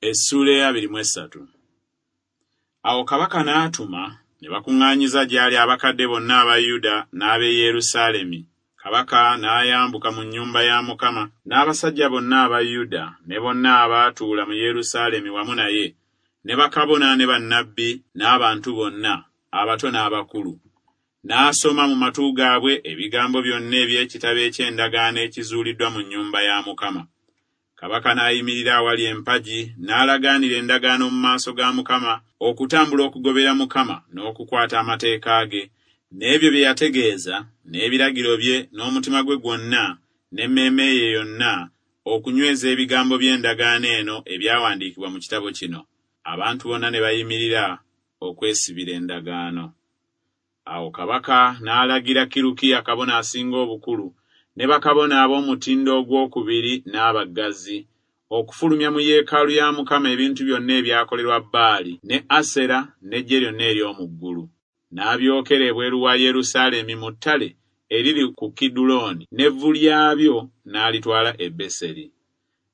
Essuula ey'abiri mu essatu. Awo kabaka n'atuma, ne bakuŋŋaanyiza gy'ali abakadde bonna aba Yuda n'ab'e Yerusaalemi. Kabaka n'ayambuka mu nnyumba ya Mukama n'abasajja bonna aba Yuda ne bonna abaatuula mu Yerusaalemi wamu naye, ne bakabona ne bannabbi n'abantu bonna, abato n'abakulu. N'asoma mu matu gaabwe ebigambo byonna eby'ekitabo eky'endagaano ekizuuliddwa mu nnyumba ya Mukama. Kabaka n'ayimirira awali empagi n'alagaanira endagaano mu maaso ga Mukama okutambula okugobera Mukama n'okukwata amateeka ge n'ebyo bye yategeeza n'ebiragiro bye n'omutima gwe gwonna n'emmeeme ye yonna okunyweza ebigambo by'endagaano eno ebyawandiikibwa mu kitabo kino. Abantu bonna ne bayimirira okwesibira endagaano. Awo kabaka n'alagira Kirukiya kabona asinga obukulu ne bakabona ab'omutindo ogwokubiri n'abaggazi okufulumya mu yeekaalu ya Mukama ebintu byonna ebyakolerwa Baali ne Asera n'eggye lyonna ery'omu ggulu. N'abyokera ebweru wa Yerusaalemi mu ttale eriri ku Kidulooni n'evvu lyabyo n'alitwala e Beseri.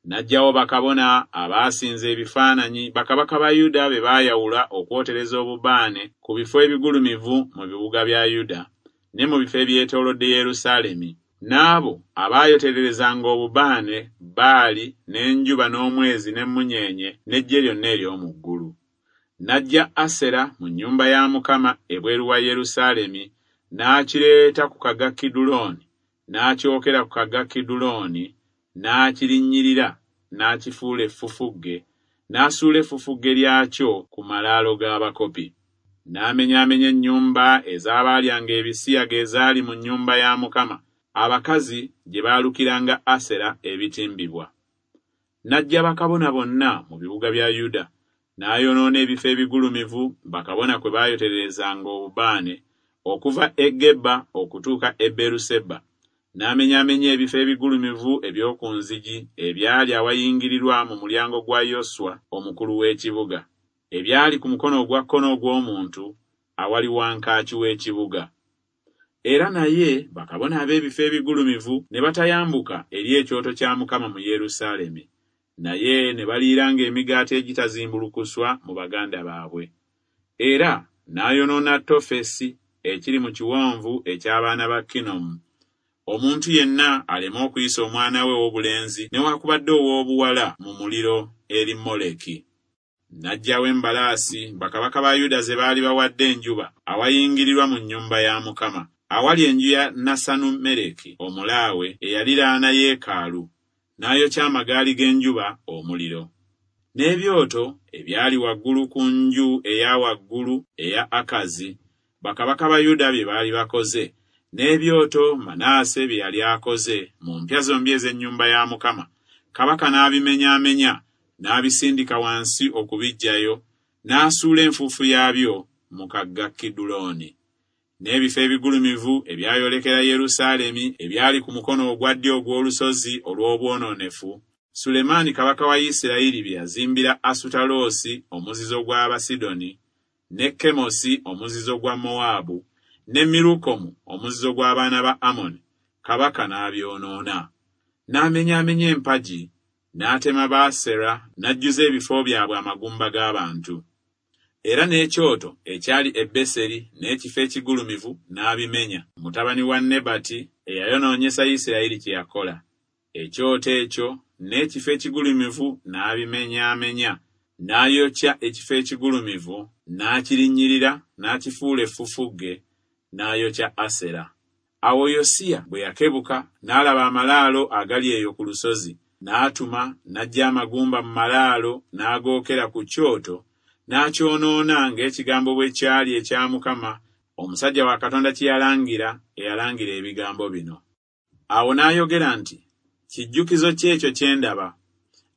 N'aggyawo bakabona abaasinza ebifaananyi bakabaka ba Yuda be baayawula okwotereza obubaane ku bifo ebigulumivu mu bibuga bya Yuda ne mu bifo ebyetoolodde Yerusaalemi, n'abo abaayotererezanga obubaane Baali n'enjuba n'omwezi n'emmunyeenye n'eggye lyonna ery'omu ggulu. N'aggya Asera mu nnyumba ya Mukama ebweru wa Yerusaalemi n'akireeta ku kagga Kidulooni n'akyokera ku kagga Kidulooni n'akirinnyirira n'akifuula effufugge n'asuula effufugge lyakyo ku malaalo g'abakopi. N'amenyaamenya ennyumba ez'abaalyanga ebisiyaga ezaali mu nnyumba ya Mukama, abakazi gye baalukiranga Asera ebitimbibwa. N'aggya bakabona bonna mu bibuga bya Yuda, n'ayonoona ebifo ebigulumivu bakabona kwe baayotererezanga obubaane, okuva e Geba okutuuka e Beeruseba, n'amenyaamenya ebifo ebigulumivu eby'oku nzigi ebyali awayingirirwa mu mulyango gwa Yoswa omukulu w'ekibuga, ebyali ku mukono ogwa kkono ogw'omuntu awali wankaaki w'ekibuga. Era naye bakabona ab'ebifo ebigulumivu ne batayambuka eri ekyoto kya Mukama mu Yerusaalemi, naye ne baliiranga emigaati egitazimbulukuswa mu baganda baabwe. Era n'ayonoona Tofesi ekiri mu kiwonvu eky'abaana ba Kinomu, omuntu yenna aleme okuyisa omwana we ow'obulenzi newakubadde ow'obuwala mu muliro eri Moleki. N'aggyawo embalaasi bakabaka ba Yuda ze baali bawadde enjuba awayingirirwa mu nnyumba ya Mukama, awali enju ya Nasanumereki omulaawe eyaliraana yeekaalu, n'ayokya amagaali g'enjuba omuliro. N'ebyoto ebyali waggulu ku nju eya waggulu eya Akazi, bakabaka ba Yuda bye baali bakoze, n'ebyoto Manaase bye yali akoze mu mpya zombi ez'ennyumba ya Mukama, kabaka n'abimenyaamenya n'abisindika wansi okubiggyayo, n'asuula enfuufu yaabyo mu kagga Kidulooni. N'ebifo ebigulumivu ebyayolekera Yerusaalemi ebyali ku mukono ogwa ddyo ogw'olusozi olw'obwonoonefu, Sulemaani kabaka wa Isirayiri bye yazimbira Asutaloosi omuzizo gw'Abasidoni, ne Kemosi omuzizo gwa Mowaabu, ne Mirukomu omuzizo gw'abaana ba Amoni, kabaka n'abyonoona. N'amenyaamenya empagi, n'atema Baasera n'ajjuza ebifo byabwe amagumba g'abantu. Era n'ekyoto ekyali e Beseri n'ekifo ekigulumivu n'abimenya, mutabani wa Nebati eyayonoonyesa Isirayiri kye yakola. Ekyoto ekyo n'ekifo ekigulumivu n'abimenyaamenya, n'ayokya ekifo ekigulumivu, n'akirinnyirira, n'akifuula effufugge, n'ayokya Asera. Awo Yosiya bwe yakebuka n'alaba amalaalo agali eyo ku lusozi, n'atuma n'aggya amagumba mu malaalo n'agookera ku kyoto n'akyonoona ng'ekigambo bwe kyali ekya Mukama omusajja wa Katonda kye yalangira eyalangira ebigambo bino. Awo n'ayogera nti, Kijjukizo ki ekyo kye ndaba?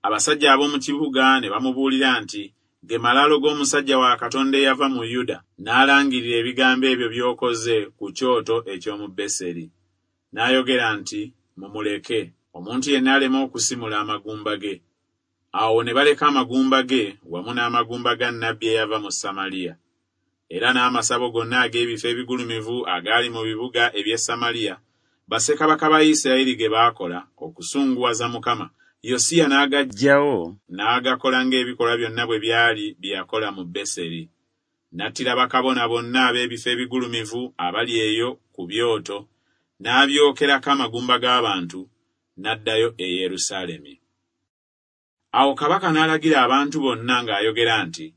Abasajja ab'omu kibuga ne bamubuulira nti, Ge malaalo g'omusajja wa Katonda eyava mu Yuda n'alangirira ebigambo ebyo by'okoze ku kyoto eky'omu Beseri. N'ayogera nti, Mumuleke, omuntu yenna aleme okusimula amagumba ge. Awo ne baleka amagumba ge wamu n'amagumba ga nnabbi eyava mu Samaliya. Era n'amasabo gonna ag'ebifo ebigulumivu agaali mu bibuga eby'e Samaliya, bassekabaka ba Isirayiri ge baakola okusunguwaza Mukama, Yosiya n'agaggyawo n'agakola ng'ebikolwa byonna bwe byali bye yakola mu Beseri. N'attira bakabona bonna ab'ebifo ebigulumivu abali eyo ku byoto, n'abyokerako amagumba g'abantu, n'addayo e Yerusaalemi. Awo kabaka n'alagira abantu bonna ng'ayogera nti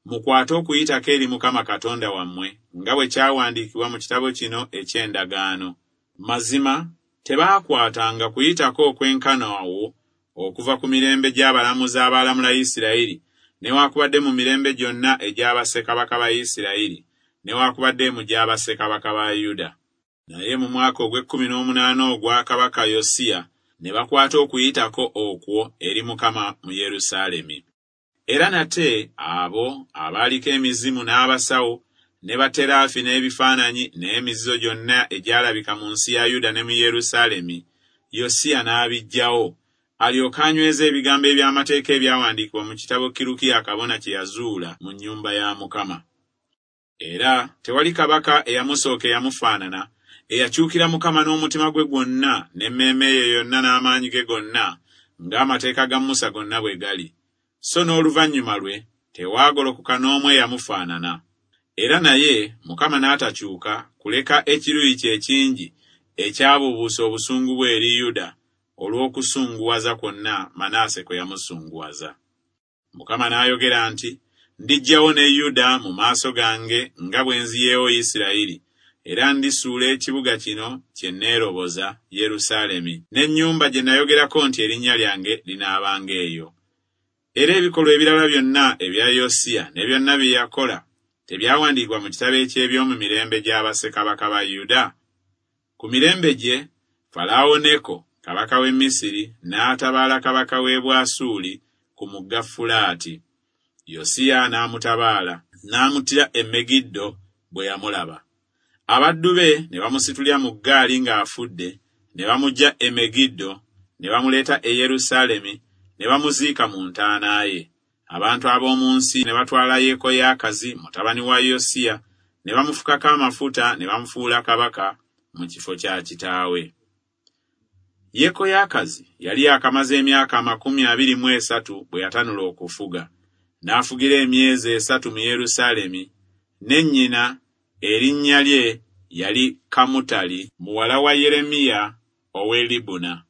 Mukwate Okuyitako eri Mukama Katonda wammwe, nga bwe kyawandiikibwa mu kitabo kino eky'endagaano. Mazima tebaakwatanga Kuyitako okwenkana awo okuva ku mirembe gy'abalamuzi abaalamula Isirayiri, newakubadde mu mirembe gyonna egya bassekabaka ba Isirayiri, newakubadde mu gya bassekabaka ba Yuda. Naye mu mwaka ogw'ekkumi n'omunaana ogwa kabaka Yosiya ne bakwata Okuyitako okwo eri Mukama mu Yerusaalemi. Era nate abo abaaliko emizimu n'abasawo ne bateraafi n'ebifaananyi n'emizizo gyonna egyalabika mu nsi ya Yuda ne mu Yerusaalemi, Yosiya n'abiggyawo, alyoke anyweze ebigambo eby'amateeka ebyawandiikibwa mu kitabo Kirukiya kabona kye yazuula mu nnyumba ya Mukama. Era tewali kabaka eyamusooka eyamufaanana, eyakyukira Mukama n'omutima gwe gwonna n'emmeeme ye yonna n'amaanyi ge gonna, ng'amateeka ga Musa gonna bwe gali. So n'oluvannyuma lwe tewaagolokoka n'omu eyamufaanana. Era naye Mukama n'atakyuka kuleka ekiruyi kye ekingi ekyabuubuusa obusungu bwe eri Yuda olw'okusunguwaza kwonna Manase kwe yamusunguwaza. Mukama n'ayogera nti Ndiggyawo ne Yuda mu maaso gange nga bwe nziyeewo Isirayiri, era ndisuula ekibuga kino kye neeroboza, Yerusaalemi, n'ennyumba gye nayogerako nti Erinnya lyange linaabanga eyo. Era ebikolwa ebirala byonna ebya Yosiya ne byonna bye yakola, tebyawandiikibwa mu kitabo eky'eby'omu mirembe gya bassekabaka ba Yuda? Ku mirembe gye, Falaawo Neko kabaka w'e Misiri n'atabaala kabaka w'e Bwasuuli ku mugga Fulaati. Yosiya n'amutabaala, n'amuttira e Megiddo bwe yamulaba. Abaddu be ne bamusitulira mu ggaali ng'afudde, ne bamuggya e Megiddo, ne bamuleeta e Yerusaalemi, ne bamuziika mu ntaana ye. Abantu ab'omu nsi ne batwala Yekoyaakazi mutabani wa Yosiya, ne bamufukako amafuta ne bamufuula kabaka mu kifo kya kitaawe. Yekoyaakazi yali yaakamaze emyaka 23 bwe yatanula okufuga, n'afugira emyezi esatu mu Yerusaalemi, ne nnyina erinnya lye yali Kamutali muwala wa Yeremiya ow'e Libuna.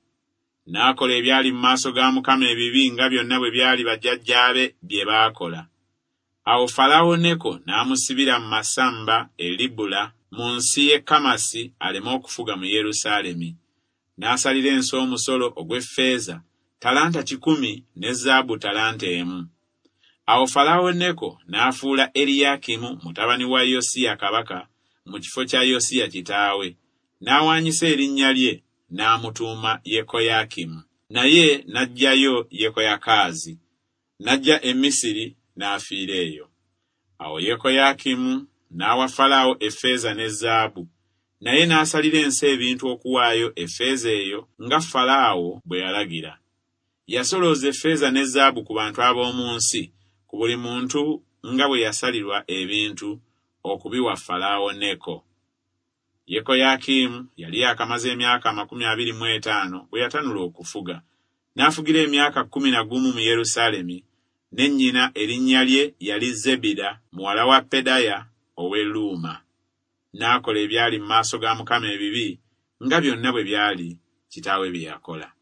N'akola ebyali mu maaso ga Mukama ebibi nga byonna bwe byali bajjajjaabe bye baakola. Awo Falaawo Neko n'amusibira mu masamba e Libula mu nsi y'e Kamasi aleme okufuga mu Yerusaalemi. N'asalira ensi omusolo ogw'effeeza talanta kikumi ne zaabu talanta emu. Awo Falaawo Neko n'afuula Eriyakimu mutabani wa Yosiya kabaka mu kifo kya Yosiya kitaawe, n'awaanyisa erinnya lye n'amutuuma Yekoyakimu. Naye n'aggyayo Yekoyakaazi, n'ajja e Misiri n'afiira eyo. Awo Yekoyakimu n'awa Falaawo effeeza ne zaabu, naye n'asalira ensi ebintu okuwaayo effeeza eyo nga Falaawo bwe yalagira. Yasolooza effeeza ne zaabu ku bantu ab'omu nsi, ku buli muntu nga bwe yasalirwa ebintu, okubiwa Falaawo Neko. Yekoyakimu yali yaakamaze emyaka 25 bwe yatanula okufuga, n'afugira emyaka 11 mu Yerusaalemi, ne nnyina erinnya lye yali Zebida muwala wa Pedaya ow'e Luuma. N'akola ebyali mu maaso ga Mukama ebibi, nga byonna bwe byali kitaawe bye yakola.